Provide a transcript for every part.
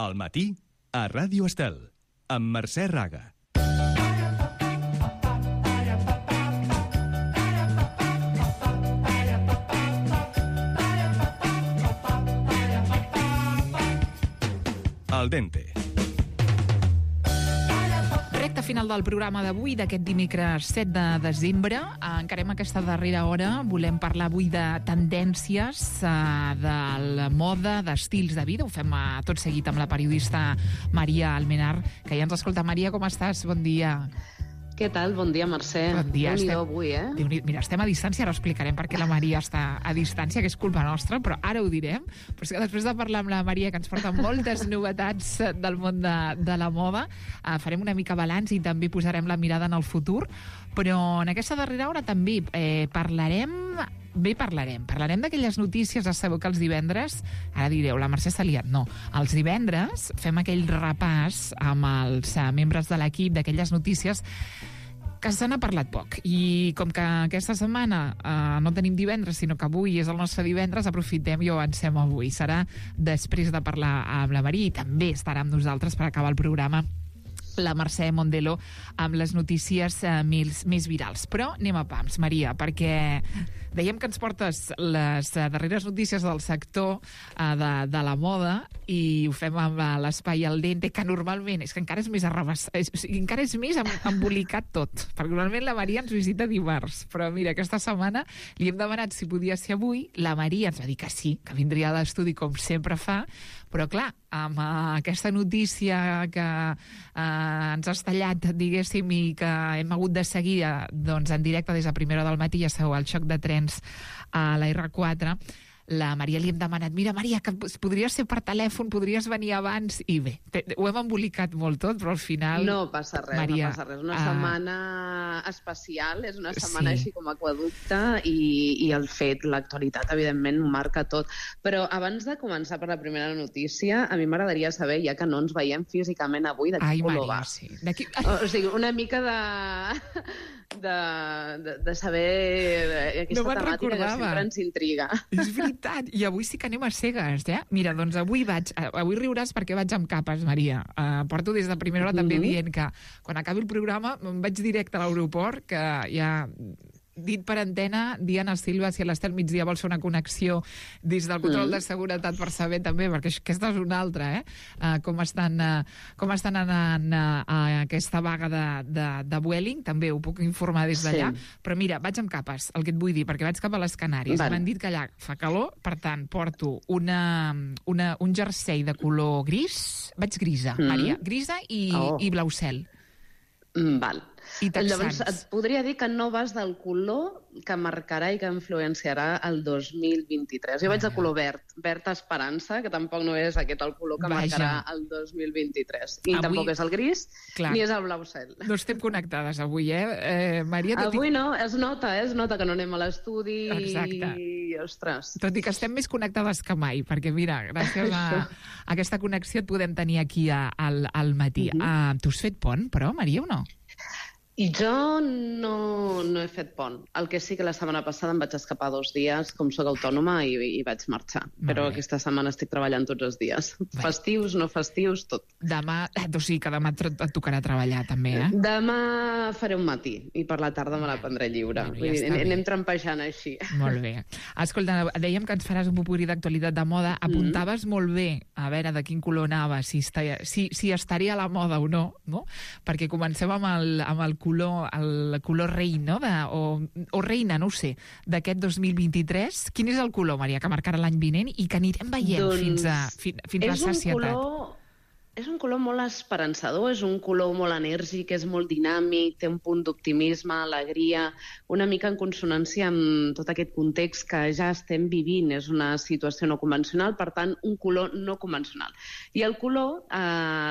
Al matí, a Ràdio Estel, amb Mercè Raga. Al dente. Recte final del programa d'avui, d'aquest dimecres 7 de desembre. Encarem aquesta darrera hora. Volem parlar avui de tendències, de la moda, d'estils de vida. Ho fem tot seguit amb la periodista Maria Almenar, que ja ens escolta. Maria, com estàs? Bon dia. Què tal? Bon dia, Mercè. Bon dia. Déu-n'hi-do avui, Mira, estem a distància, ara explicarem per què la Maria està a distància, que és culpa nostra, però ara ho direm. Però és que després de parlar amb la Maria, que ens porta moltes novetats del món de la moda, farem una mica balanç i també posarem la mirada en el futur. Però en aquesta darrera hora també parlarem d'aquelles notícies. Ja sabeu que els divendres, ara direu, la Mercè s'ha liat. No, els divendres fem aquell repàs amb els membres de l'equip d'aquelles notícies que se n'ha parlat poc. I com que aquesta setmana no tenim divendres, sinó que avui és el nostre divendres, aprofitem i ho avancem avui. Serà després de parlar amb la Maria, i també estarà amb nosaltres per acabar el programa la Mercè Mondelo amb les notícies més virals. Però anem a pams, Maria, perquè dèiem que ens portes les darreres notícies del sector de la moda, i ho fem amb l'espai al dente, que normalment és que encara és més encara és més embolicat tot, perquè normalment la Maria ens visita dimarts, però mira, aquesta setmana li hem demanat si podia ser avui. La Maria ens va dir que sí, que vindria a l'estudi com sempre fa, però clar, amb aquesta notícia que ens ha estallat, diguéssim, i que hem hagut de seguir doncs, en directe des de primera hora del matí, ja sabeu, el xoc de trens a la R4, la Maria li hem demanat, mira, Maria, que podries ser per telèfon, podries venir abans, i bé, ho hem embolicat molt tot, però al final... No passa res, Maria, no passa res. Una setmana especial, és una setmana així com aqueducte, i el fet, l'actualitat, evidentment, ho marca tot. Però abans de començar per la primera notícia, a mi m'agradaria saber, ja que no ens veiem físicament avui, de quin color va. Sí. O sigui, una mica de saber aquesta temàtica que sempre ens intriga. És veritat, i avui sí que anem a cegues, Mira, doncs avui riuràs perquè vaig amb capes, Maria. Porto des de primera hora també dient que quan acabi el programa em vaig directe a l'aeroport, que ja... dit per antena, Diana Silva, si a l'Estel migdia vols fer una connexió des del control de seguretat per saber també, perquè aquesta és una altra, com estan anant a aquesta vaga de Vueling, també ho puc informar des d'allà, però mira, vaig amb capes, el que et vull dir, perquè vaig cap a les Canàries, m'han dit que allà fa calor, per tant, porto un jersei de color gris, vaig grisa, Maria, grisa i blau cel. Val. Llavors, et podria dir que no vas del color que marcarà i que influenciarà el 2023. Jo vaig de color verd esperança, que tampoc no és aquest el color que marcarà el 2023. I avui, tampoc és el gris, ni és el blau cel. No estem connectades avui, Maria? Avui no, es nota que no anem a l'estudi. Exacte. I, ostres... Tot i que estem més connectades que mai, perquè mira, gràcies a aquesta connexió et podem tenir aquí al matí. Tu has fet pont, però, Maria, o no? I jo no he fet pont. El que sí que la setmana passada em vaig escapar 2 dies, com soc autònoma, i vaig marxar. Però aquesta setmana estic treballant tots els dies. Festius, no festius, tot. Demà, o sigui que demà et tocarà treballar també, Demà faré un matí, i per la tarda me la prendré lliure. Anem trampejant així. Molt bé. Escolta, dèiem que ens faràs un popurrí d'actualitat de moda. Apuntaves molt bé, a veure de quin color anava, si estaria a la moda o no? Perquè comencem amb el color rei, no? O reina, no ho sé, d'aquest 2023. Quin és el color, Maria, que marcarà l'any vinent i que anirem veient fins a la sacietat? És un color molt esperançador, és un color molt enèrgic, és molt dinàmic, té un punt d'optimisme, alegria, una mica en consonància amb tot aquest context que ja estem vivint. És una situació no convencional, per tant, un color no convencional. I el color,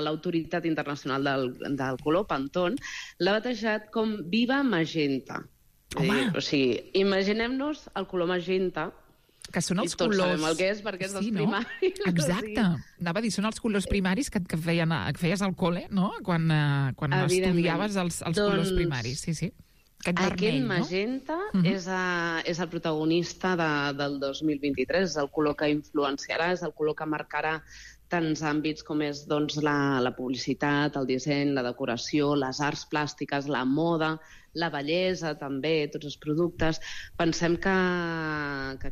l'Autoritat Internacional del Color, Pantone, l'ha batejat com Viva Magenta. O sigui, imaginem-nos el color magenta, que són els colors... I tots colors... sabem el que és, perquè és dels primaris. Exacte. Anava a dir, són els colors primaris que feies al col·le, no? Quan estudiaves els colors primaris. Sí. Aquest magenta és el protagonista del 2023, és el color que influenciarà, és el color que marcarà tants àmbits com és doncs, la publicitat, el disseny, la decoració, les arts plàstiques, la moda, la bellesa també, tots els productes. Pensem que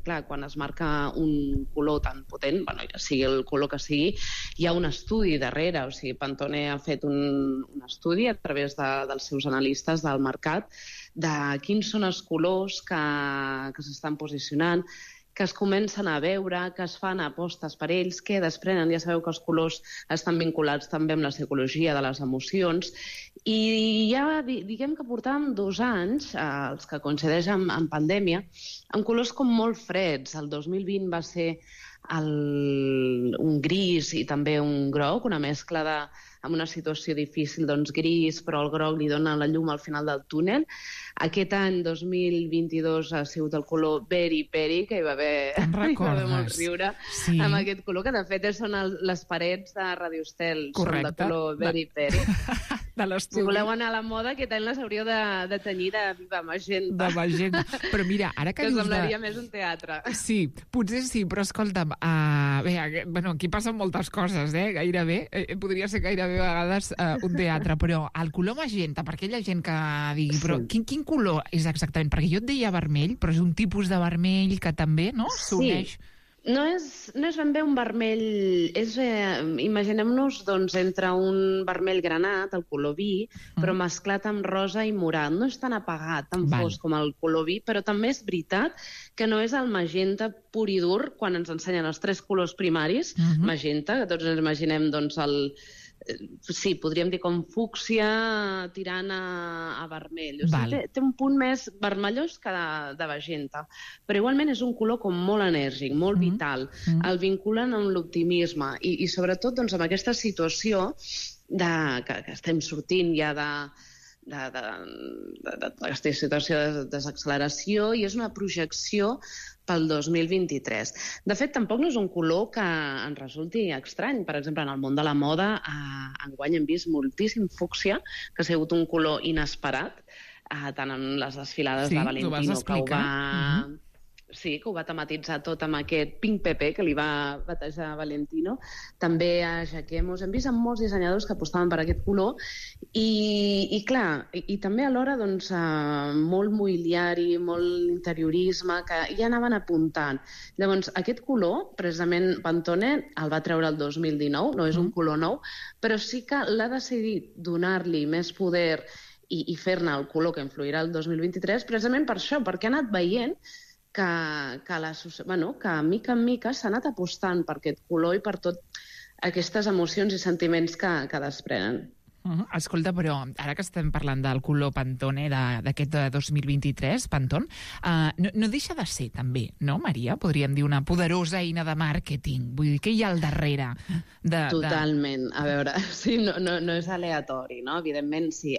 clar, quan es marca un color tan potent, ja sigui el color que sigui, hi ha un estudi darrere. O sigui, Pantone ha fet un estudi a través dels seus analistes del mercat de quins són els colors que s'estan posicionant, que es comencen a veure, que es fan apostes per ells, que desprenen. Ja sabeu que els colors estan vinculats també amb la psicologia de les emocions. I ja diguem que portàvem 2 anys, els que coincideix amb pandèmia, amb colors com molt freds. El 2020 va ser un gris i també un groc, una mescla amb una situació difícil, doncs gris, però el groc li dona la llum al final del túnel. Aquest any, 2022, ha sigut el color Very Peri, que hi va haver molt riure amb aquest color, que de fet són les parets de Radio Estel, són de color Very Peri. Si voleu anar a la moda, aquest any les hauríeu de tenyir de viva magenta. De magenta. Però mira, ara que dius... Que semblaria més un teatre. Sí, potser sí, però escolta'm, bé, aquí passen moltes coses, gairebé. Podria ser gairebé a vegades un teatre, però el color magenta, perquè hi ha gent que digui, però quin color és exactament? Perquè jo et deia vermell, però és un tipus de vermell que també, no?, s'uneix. No és ben bé un vermell, imaginem-nos doncs, entre un vermell granat, el color vi, però mesclat amb rosa i morat. No és tan apagat, tan fosc com el color vi, però també és veritat que no és el magenta pur i dur quan ens ensenyen els 3 colors primaris, magenta, que tots ens imaginem doncs, sí, podríem dir com fúcsia tirant a vermell. O sigui, té un punt més vermellós que de magenta. Però igualment és un color com molt enèrgic, molt vital. El vinculen amb l'optimisme i sobretot doncs, amb aquesta situació que estem sortint ja d'aquesta situació de desacceleració, i és una projecció pel 2023. De fet, tampoc no és un color que ens resulti estrany. Per exemple, en el món de la moda, enguany hem vist moltíssim fúcsia, que ha sigut un color inesperat, tant en les desfilades de Valentino, que ho va tematitzar tot amb aquest pink pepe que li va batejar Valentino. També a Jacquemus hem vist molts dissenyadors que apostaven per aquest color i clar, i també alhora doncs, molt mobiliari, molt interiorisme, que ja anaven apuntant. Llavors, aquest color, precisament Pantone el va treure el 2019, no és un color nou, però sí que l'ha decidit donar-li més poder i fer-ne el color que influirà el 2023, precisament per això, perquè ha anat veient que mica en mica s'ha anat apostant per aquest color i per totes aquestes emocions i sentiments que desprenen. Escolta, però ara que estem parlant del color Pantone d'aquest 2023, Pantone, no deixa de ser també, no, Maria? Podríem dir una poderosa eina de màrqueting. Vull dir, què hi ha al darrere? Totalment. A veure, sí, no és aleatori, no? Evidentment, sí.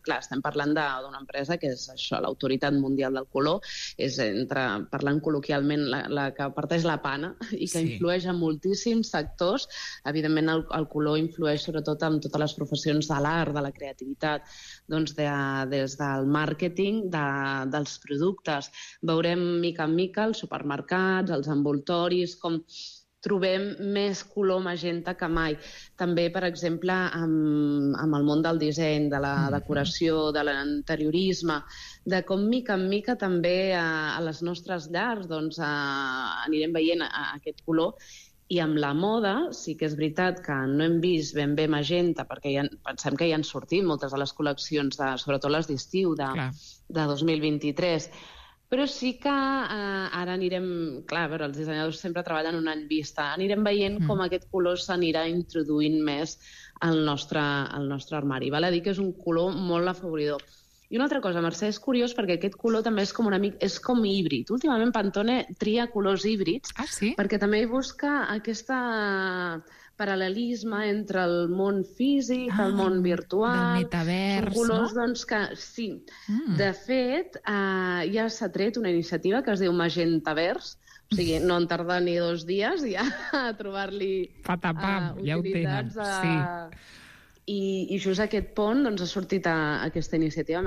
Clar, estem parlant d'una empresa que és això, l'autoritat mundial del color, és, parlant col·loquialment, la que parteix la pana i que influeix en moltíssims sectors. Evidentment, el color influeix sobretot en totes les professions de l'art, de la creativitat, doncs des del màrqueting, dels productes. Veurem mica en mica els supermercats, els envoltoris, com trobem més color magenta que mai. També, per exemple, amb el món del disseny, de la decoració, de l'interiorisme, de com mica en mica també a les nostres llars doncs, anirem veient aquest color. I amb la moda sí que és veritat que no hem vist ben bé magenta, perquè pensem que ja han sortit moltes de les col·leccions, sobretot les d'estiu de 2023, però sí que ara anirem... Clar, a veure, els dissenyadors sempre treballen un any vista. Anirem veient com aquest color s'anirà introduint més al nostre armari. Val a dir que és un color molt afavoridor. I una altra cosa, Mercè, és curiós perquè aquest color també és com híbrid. Últimament Pantone tria colors híbrids perquè també hi busca aquest paral·lelisme entre el món físic, el món virtual... Del metavers, són colors, doncs, que sí. De fet, ja s'ha tret una iniciativa que es diu Magentavers, o sigui, no en tarda ni 2 dies ja a trobar-li utilitats I just aquest pont doncs, ha sortit aquesta iniciativa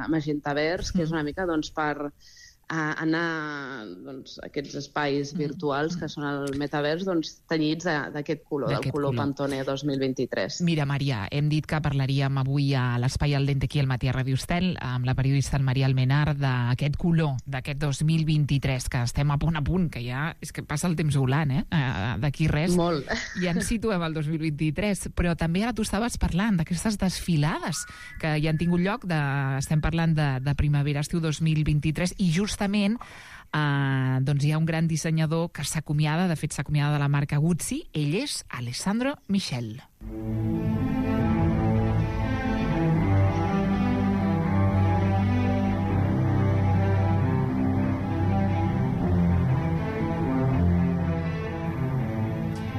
Magentavers, que és una mica doncs, per anar doncs, a aquests espais virtuals que són el metavers tenyits d'aquest color, del color Pantone 2023. Mira, Maria, hem dit que parlaríem avui a l'Espai al Dente aquí al matí a Radio Estel amb la periodista Maria Almenar d'aquest color, d'aquest 2023, que estem a punt, que ja és que passa el temps volant, d'aquí res. Molt. Ja ens situem al 2023, però també ara tu estaves parlant d'aquestes desfilades que ja han tingut lloc, estem parlant de primavera-estiu 2023, i justament doncs hi ha un gran dissenyador que s'acomiada, de fet s'acomiada de la marca Gucci, ell és Alessandro Michel.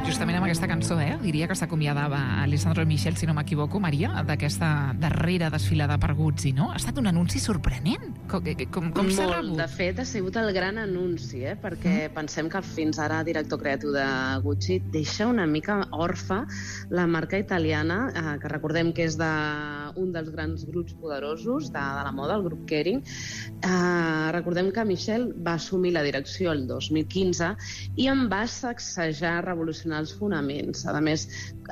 Justament amb aquesta cançó, diria que s'acomiadava Alessandro Michel, si no m'equivoco, Maria, d'aquesta darrera desfilada per Gucci, no? Ha estat un anunci sorprenent. Com s'ha rebut? De fet, ha sigut el gran anunci, perquè pensem que fins ara el director creatiu de Gucci deixa una mica orfa la marca italiana, que recordem que és d'un dels grans grups poderosos de la moda, el grup Kering. Recordem que Michel va assumir la direcció el 2015 i en va sacsejar, revolucionar els fonaments. A més,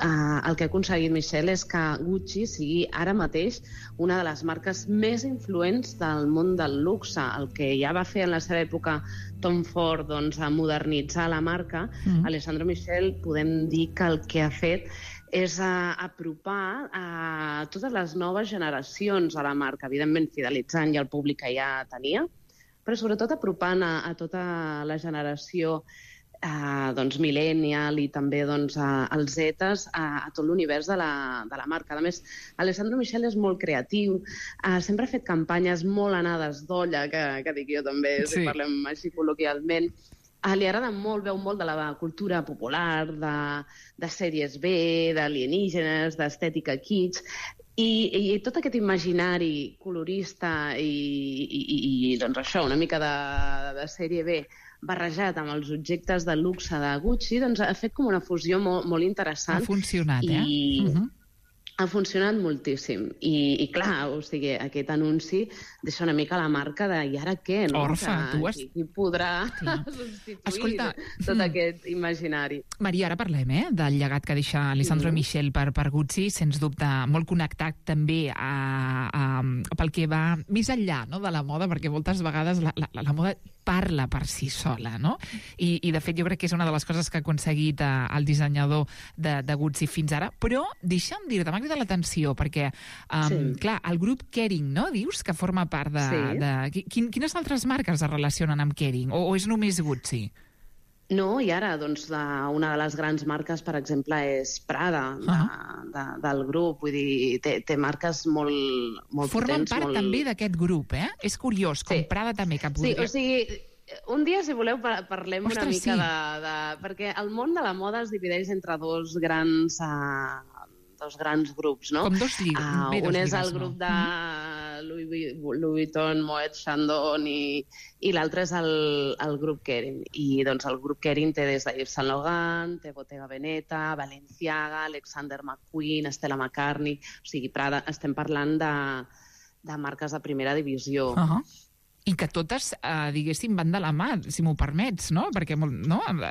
el que ha aconseguit Michel és que Gucci sigui ara mateix una de les marques més influents del món del luxe. El que ja va fer en la seva època Tom Ford, a modernitzar la marca, Alessandro Michel podem dir que el que ha fet és apropar a totes les noves generacions a la marca, evidentment fidelitzant ja el públic que ja tenia, però sobretot apropant a tota la generació millennial i també als Zetas a tot l'univers de la marca. A més, Alessandro Michel és molt creatiu, sempre ha fet campanyes molt anades d'olla, que dic jo també, si parlem així col·loquialment. Li agrada molt, veu molt de la cultura popular, de sèries B, d'alienígenes, d'estètica kitsch, i tot aquest imaginari colorista i doncs això, una mica de sèrie B, barrejat amb els objectes de luxe de Gucci, doncs ha fet com una fusió molt interessant. Ha funcionat, Ha funcionat moltíssim. I clar, o sigui, aquest anunci deixa una mica la marca de i ara què, no? Orfa, tu has... Qui podrà substituir tot aquest imaginari. Maria, ara parlem, del llegat que deixa Alessandro Michel per Gucci, sens dubte molt connectat també pel que va més enllà, no?, de la moda, perquè moltes vegades la moda parla per si sola, no? I de fet jo crec que és una de les coses que ha aconseguit el dissenyador de Gucci fins ara, però deixa'm dir-te, m'ha cridat l'atenció, perquè, clar, el grup Kering, no?, dius que forma part de... Quines altres marques es relacionen amb Kering? O és només Gucci? No, i ara, doncs, una de les grans marques, per exemple, és Prada, del grup. Vull dir, té marques molt potents. Formen part també d'aquest grup, És curiós, com Prada també, que podria... Sí, o sigui, un dia, si voleu, parlem una mica de... Perquè el món de la moda es divideix entre dos grans grups, no? Com dos lligues. Un és el grup de Louis Vuitton, Moet Chandon i l'altre és el grup Kering. I doncs el grup Kering té des de Yves Saint Laurent, té Bottega Veneta, Balenciaga, Alexander McQueen, Stella McCartney, o sigui, Prada, estem parlant de marques de primera divisió. I que totes, diguéssim, van de la mà, si m'ho permets, no? Perquè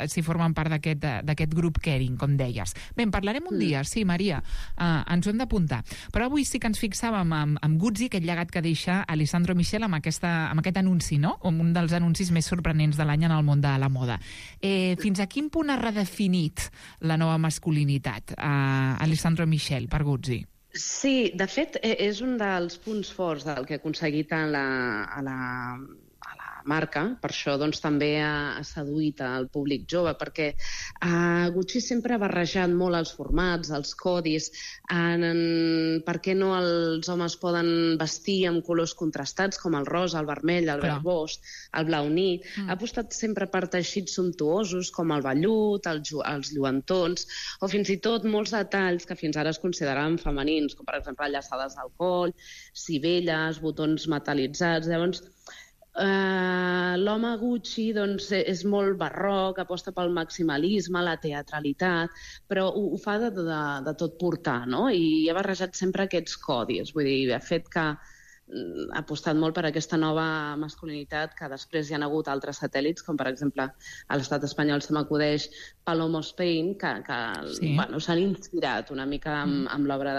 si formen part d'aquest grup Kering, com deies. Bé, en parlarem un dia, sí, Maria, ens ho hem d'apuntar. Però avui sí que ens fixàvem amb Gucci, aquest llegat que deixa Alessandro Michel amb aquest anunci, no? Un dels anuncis més sorprenents de l'any en el món de la moda. Fins a quin punt ha redefinit la nova masculinitat Alessandro Michel per Gucci? Sí, de fet, és un dels punts forts del que ha aconseguit a la marca, per això doncs, també ha seduït al públic jove, perquè Gucci sempre ha barrejat molt els formats, els codis, per què no els homes poden vestir amb colors contrastats com el rosa, el vermell, el verd bosc, el blau nit. Ha apostat sempre per teixits sumptuosos com el vellut, els lluentons, o fins i tot molts detalls que fins ara es consideraven femenins, com per exemple llaçades al coll, sivelles, botons metal·litzats. Llavors, l'home Gucci doncs, és molt barroc, aposta pel maximalisme, la teatralitat, però ho fa de tot portar, no? I ha barrejat sempre aquests codis. Vull dir, ha fet que apostat molt per aquesta nova masculinitat, que després hi ha hagut altres satèl·lits, com per exemple a l'estat espanyol se m'acudeix Palomo Spain, que s'han inspirat una mica amb l'obra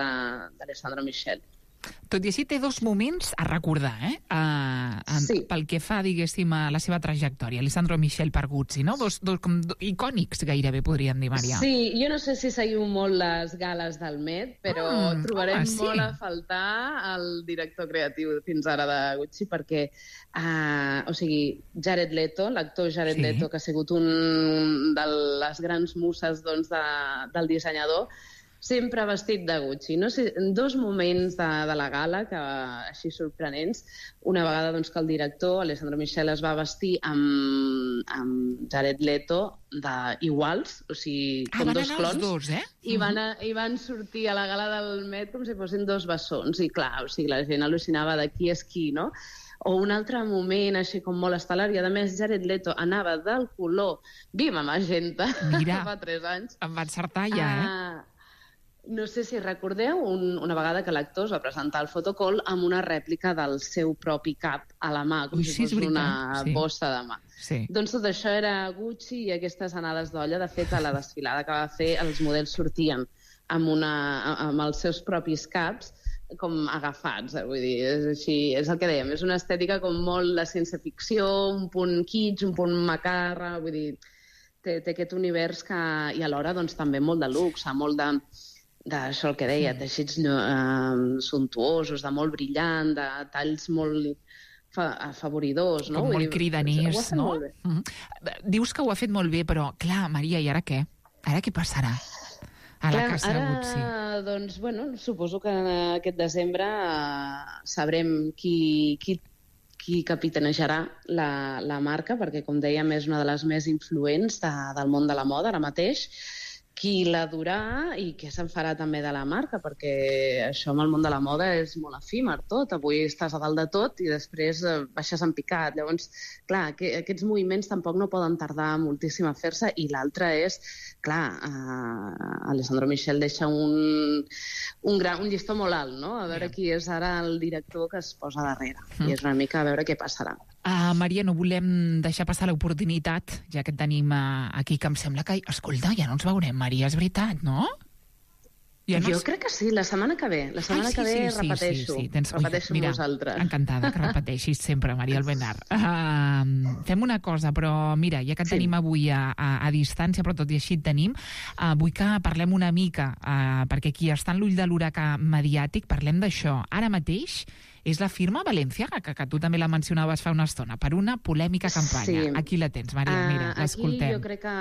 d'Alessandro Michel. Tot i així té dos moments a recordar, pel que fa, diguéssim, a la seva trajectòria. Alessandro Michel per Gucci, no? Dos icònics, gairebé, podríem dir, Maria. Sí, jo no sé si seguiu molt les gales del Met, però trobarem molt a faltar el director creatiu fins ara de Gucci, perquè, Jared Leto, l'actor Jared Leto, que ha sigut un de les grans muses del dissenyador, sempre vestit de Gucci. No sé, en dos moments de la gala, que així sorprenents, una vegada que el director, Alessandro Michel, es va vestir amb Jared Leto iguals, o sigui, com dos clons, dos, i van sortir a la gala del Met com si fossin dos bessons, i clar, o sigui, la gent al·lucinava de qui és qui, no? O un altre moment així com molt estel·lar, i a més Jared Leto anava del color Viva Magenta, fa 3 anys. Em va encertar ja, No sé si recordeu una vegada que l'actor es va presentar al fotocall amb una rèplica del seu propi cap a la mà, com si fos una bossa de mà. Sí. Doncs tot això era Gucci i aquestes anades d'olla. De fet, a la desfilada que va fer, els models sortien amb els seus propis caps, com agafats, vull dir, és així, és el que dèiem, és una estètica com molt de ciència-ficció, un punt kitsch, un punt macarra, vull dir, té aquest univers que, i alhora doncs, també molt de luxe, molt d'això el que deia, teixits suntuosos, de molt brillant, de talls molt afavoridors, no? Com molt cridaners, no? Dius que ho ha fet molt bé, però, clar, Maria, i ara què? Ara què passarà a la casa de Gucci? Doncs, bueno, suposo que aquest desembre sabrem qui capitanejarà la marca, perquè, com dèiem, és una de les més influents del món de la moda ara mateix, qui la durà i què se'n farà també de la marca, perquè això amb el món de la moda és molt efímer tot. Avui estàs a dalt de tot i després baixes en picat. Llavors, clar, aquests moviments tampoc no poden tardar moltíssim a fer-se, i l'altre és, clar, Alessandro Michel deixa un llistó molt alt, no? A veure qui és ara el director que es posa darrere. I és una mica a veure què passarà. Maria, no volem deixar passar l'oportunitat, ja que et tenim aquí, que em sembla que... Escolta, ja no ens veurem, Maria, és veritat, no? Jo crec que sí, la setmana que ve. La setmana que ve repeteixo. Repeteixo amb vosaltres. Encantada que repeteixis sempre, Maria Albenar. Fem una cosa, però mira, ja que et tenim avui a distància, però tot i així et tenim, vull que parlem una mica, perquè aquí està en l'ull de l'huracà mediàtic, parlem d'això. Ara mateix és la firma Balenciaga, que tu també la mencionaves fa una estona, per una polèmica campanya. Sí. Aquí la tens, Maria, mira, l'escoltem. Aquí jo crec que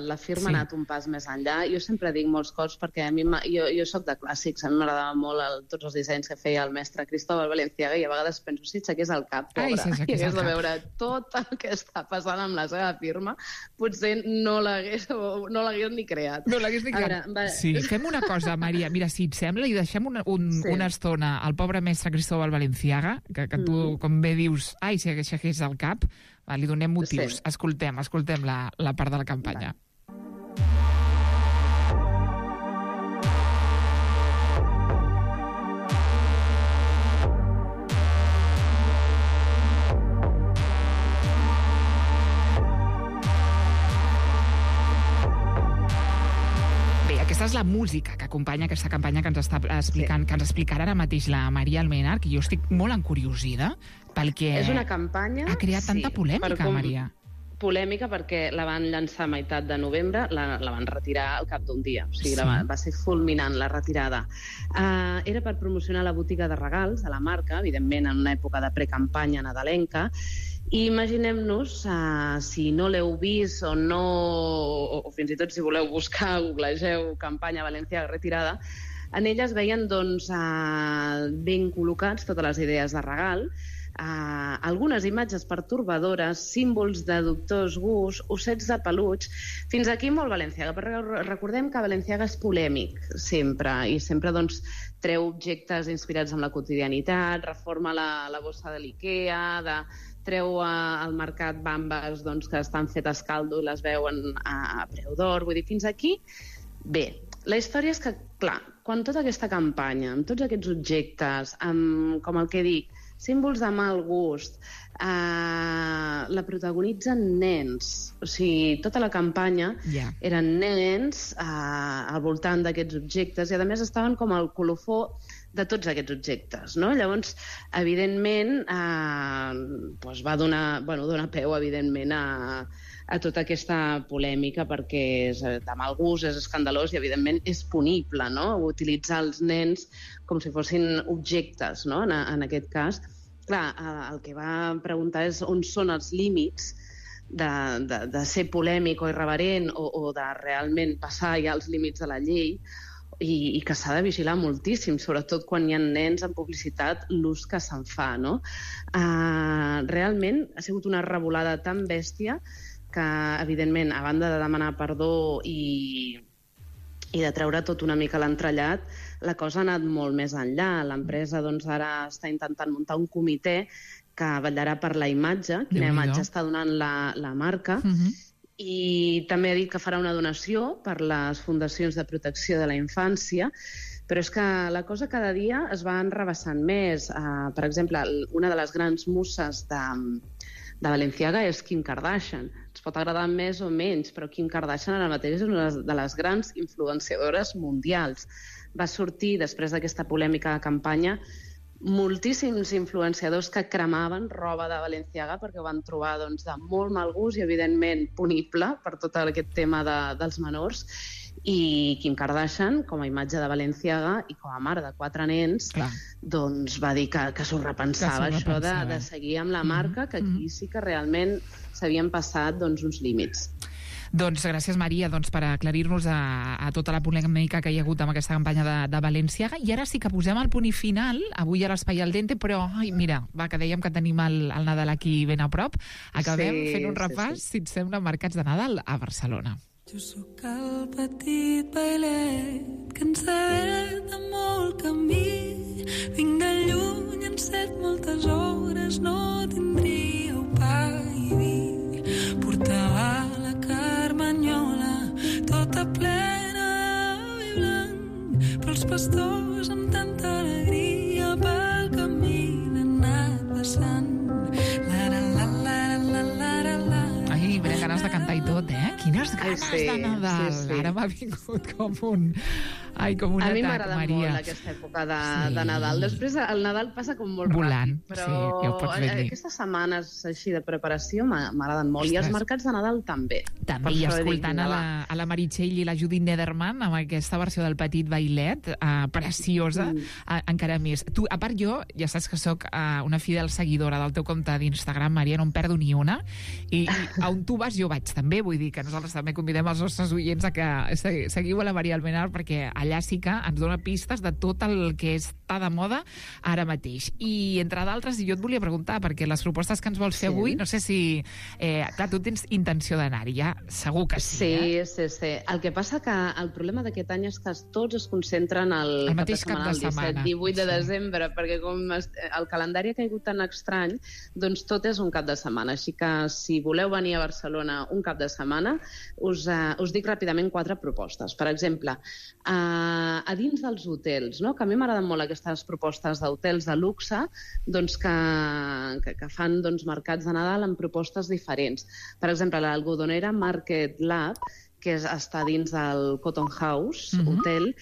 la firma ha anat un pas més enllà. Jo sempre dic molts cops, perquè a mi jo soc de clàssics, a mi m'agradava molt tots els dissenys que feia el mestre Cristóbal Balenciaga, i a vegades penso, si aixequés el cap, pobre, i hagués de veure tot el que està passant amb la seva firma, potser no l'hagués ni creat. No l'hagués ni creat. Sí, fem una cosa, Maria, mira, si et sembla, i deixem una estona al pobre mestre Cristóbal Balenciaga, que tu, com bé dius, si aixequés el cap, li donem motius. Escoltem la part de la campanya. Aquesta és la música que acompanya aquesta campanya que ens està explicant, que ens explicarà ara mateix la Maria Albenar, que jo estic molt encuriosida perquè és una campanya, ha creat tanta polèmica, Maria. Polèmica perquè la van llançar a meitat de novembre, la van retirar al cap d'un dia, o sigui, va ser fulminant la retirada. Era per promocionar la botiga de regals de la marca, evidentment en una època de precampanya nadalenca, i imaginem-nos, si no l'heu vist o no, o fins i tot si voleu buscar, googlegeu campanya Balenciaga retirada, en ella es veien ben col·locats totes les idees de regal, algunes imatges pertorbadores, símbols de dubtós gust, ossets de peluig, fins aquí molt Balenciaga, però recordem que Balenciaga és polèmic sempre, i sempre treu objectes inspirats en la quotidianitat, reforma la bossa de l'IKEA, treu al mercat bambes que estan fetes caldo i les veuen a preu d'or. Vull dir, fins aquí, bé. La història és que, clar, quan tota aquesta campanya, amb tots aquests objectes, amb, com el que dic, símbols de mal gust, la protagonitzen nens. O sigui, tota la campanya eren nens al voltant d'aquests objectes i, a més, estaven com al colofó de tots aquests objectes, no? Llavors, evidentment, va donar peu, evidentment, a tota aquesta polèmica perquè és de mal gust, és escandalós i, evidentment, és punible, no? Utilitzar els nens com si fossin objectes, no? En aquest cas. Clar, el que va preguntar és on són els límits de ser polèmic o irreverent o de realment passar ja els límits de la llei i que s'ha de vigilar moltíssim, sobretot quan hi ha nens en publicitat, l'ús que se'n fa, no? Realment ha sigut una revolada tan bèstia que, evidentment, a banda de demanar perdó i de treure tot una mica l'entrellat, la cosa ha anat molt més enllà. L'empresa ara està intentant muntar un comitè que vetllarà per la imatge, quina imatge està donant la marca, i també ha dit que farà una donació per les fundacions de protecció de la infància, però és que la cosa cada dia es va enrevessant més. Per exemple, una de les grans muses de Balenciaga és Kim Kardashian. Ens pot agradar més o menys, però Kim Kardashian ara mateix és una de les grans influenciadores mundials. Va sortir, després d'aquesta polèmica de campanya, moltíssims influenciadors que cremaven roba de Balenciaga perquè ho van trobar de molt mal gust i, evidentment, punible per tot aquest tema dels menors. I Kim Kardashian, com a imatge de Balenciaga i com a mare de 4 nens, va dir que s'ho repensava, això de seguir amb la marca, que aquí sí que realment s'havien passat uns límits. Doncs gràcies, Maria, per aclarir-nos a tota la polèmica que hi ha hagut amb aquesta campanya de Balenciaga. I ara sí que posem el punt i final, avui a l'Espai al Dente, però, mira, que dèiem que tenim el Nadal aquí ben a prop. Acabem fent un repàs, si et sembla, mercats de Nadal a Barcelona. Jo sóc el petit bailet que enceta molt camí. Vinc de lluny, encet moltes hores, no tindríeu pa i vi. Portava la carmanyola tota plena de vi blanc, però els pastors amb tanta alegria pel camí n'han anat passant. Ai, ganes de cantar i tot, eh? Quines ganes de Nadal! Ara m'ha vingut com un atac, Maria. A mi m'agrada molt aquesta època de Nadal. Després el Nadal passa com molt volant, ràpid, però ja ho pots ben dir. Aquestes setmanes així de preparació m'agraden molt. I els mercats de Nadal també. També, i escoltant a la Meritxell i la Judit Nederman amb aquesta versió del Petit Bailet, preciosa, encara més. Tu, a part, jo, ja saps que sóc una fidel seguidora del teu compte d'Instagram, Maria, no em perdo ni una, i on tu vas jo vaig també, vull dir que nosaltres també convidem els nostres oients a que seguiu a la Maria Almenar, perquè allà sí que ens dona pistes de tot el que està de moda ara mateix. I, entre d'altres, jo et volia preguntar, perquè les propostes que ens vols fer avui, no sé si... clar, tu tens intenció d'anar-hi, ja segur que sí. Sí. El que passa que el problema d'aquest any és que tots es concentren el mateix cap de setmana, el 17-18 de desembre, perquè com el calendari ha caigut tan estrany, doncs tot és un cap de setmana. Així que si voleu venir a Barcelona un cap de setmana, us dic ràpidament 4 propostes. Per exemple, a dins dels hotels, no? Que a mi m'agraden molt aquestes propostes d'hotels de luxe, doncs que fan mercats de Nadal amb propostes diferents. Per exemple, l'Algodonera Market Lab, que està dins del Cotton House Hotel,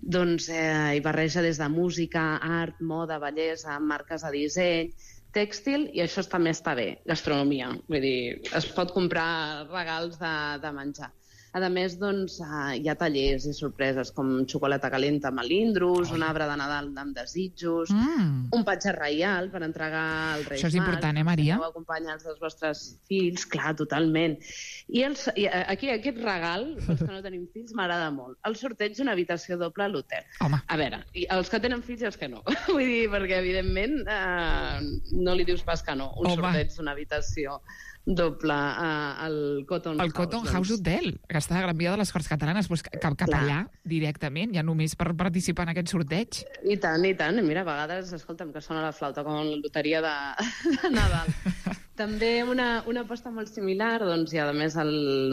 doncs hi barreja des de música, art, moda, bellesa, marques de disseny, tèxtil, i això també està bé, gastronomia. Vull dir, es pot comprar regals de menjar. A més, doncs, hi ha tallers i sorpreses com xocolata calenta amb melindros, un arbre de Nadal amb desitjos, un patge reial per entregar al Reis Mags. Això és important, Maria? Heu acompanyats dels vostres fills, clar, totalment. I aquí aquest regal, els que no tenim fills, m'agrada molt. El sorteig d'una habitació doble a l'hotel. A veure, els que tenen fills i els que no. Vull dir, perquè, evidentment, no li dius pas que no. Un sorteig d'una habitació doble al Cotton House. El Cotton House Hotel, que està a Gran Via de les Corts Catalanes, doncs cap allà directament, ja només per participar en aquest sorteig. I tant. Mira, a vegades, escolta'm, que sona la flauta com la loteria de Nadal. També una aposta molt similar, doncs, i a més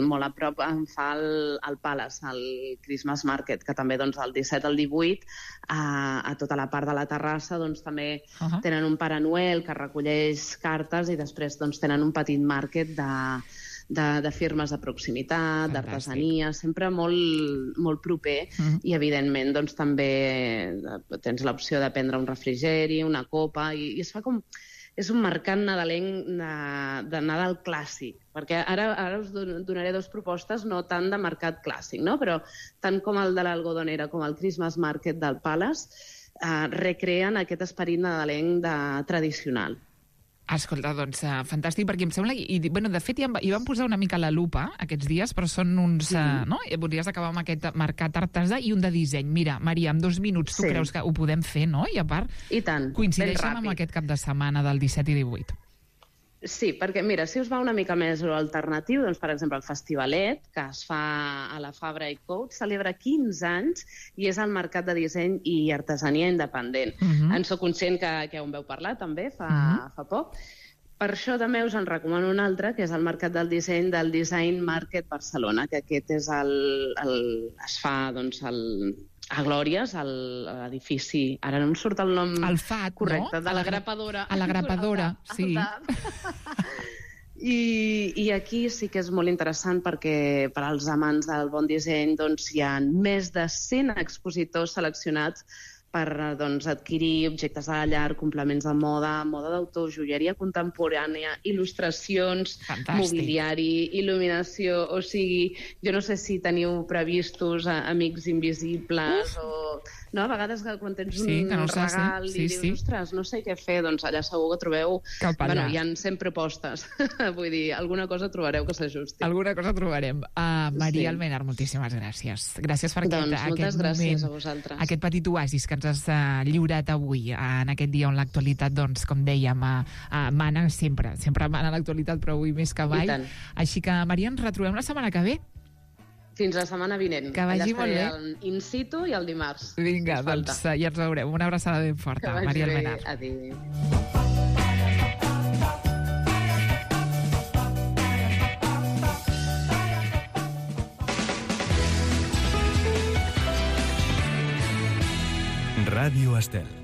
molt a prop em fa el Palace, el Christmas Market, que també doncs, el 17 al 18 a tota la part de la terrassa doncs, també tenen un Pare Noel que recolleix cartes i després doncs, tenen un petit market de firmes de proximitat, d'artesania, sempre molt, molt proper i, evidentment, doncs, també tens l'opció de prendre un refrigeri, una copa, i es fa com... És un mercat nadalenc de Nadal clàssic, perquè ara us donaré dues propostes, no tant de mercat clàssic, no? Però tant com el de l'Algodonera com el Christmas Market del Palace recreen aquest esperit nadalenc tradicional. Escolta, doncs, fantàstic, perquè em sembla... De fet, hi van posar una mica la lupa aquests dies, però són uns... no? Voldries acabar amb aquest mercat artesà i un de disseny. Mira, Maria, en 2 minuts tu creus que ho podem fer, no? I a part, coincideixen amb aquest cap de setmana del 17 i 18. Sí, perquè, mira, si us va una mica més alternatiu, doncs, per exemple, el Festivalet, que es fa a la Fabra i Coats, celebra 15 anys i és el mercat de disseny i artesania independent. En soc conscient que ja en veu parlar, també, fa poc. Per això també us en recomano un altre, que és el Mercat del Disseny del Design Market Barcelona, que aquest és es fa, doncs, a Glòries, a l'edifici... Ara no em surt el nom correcte, de la Grapadora. A la Grapadora, sí. I aquí sí que és molt interessant perquè per als amants del bon disseny doncs, hi ha més de 100 expositors seleccionats per adquirir objectes de la llar, complements de moda d'autor, joieria contemporània, il·lustracions, mobiliari, il·luminació... O sigui, jo no sé si teniu previstos amics invisibles o... No, a vegades quan tens un regal i dius, ostres, no sé què fer, doncs allà segur que trobeu... Bueno, hi ha 100 propostes. Vull dir, alguna cosa trobareu que s'ajusti. Alguna cosa trobarem. Maria Almenar, moltíssimes gràcies. Gràcies per aquest moment, aquest petit oasis que ens has lliurat avui, en aquest dia on l'actualitat, doncs, com dèiem, mana sempre mana l'actualitat, però avui més que mai. Així que, Maria, ens retrobem la setmana que ve. Fins la setmana vinent. Que vagi molt bé. In situ i el dimarts. Vinga, doncs ja ens veurem. Una abraçada ben forta, Maria Almenar. Adéu. Ràdio Estel.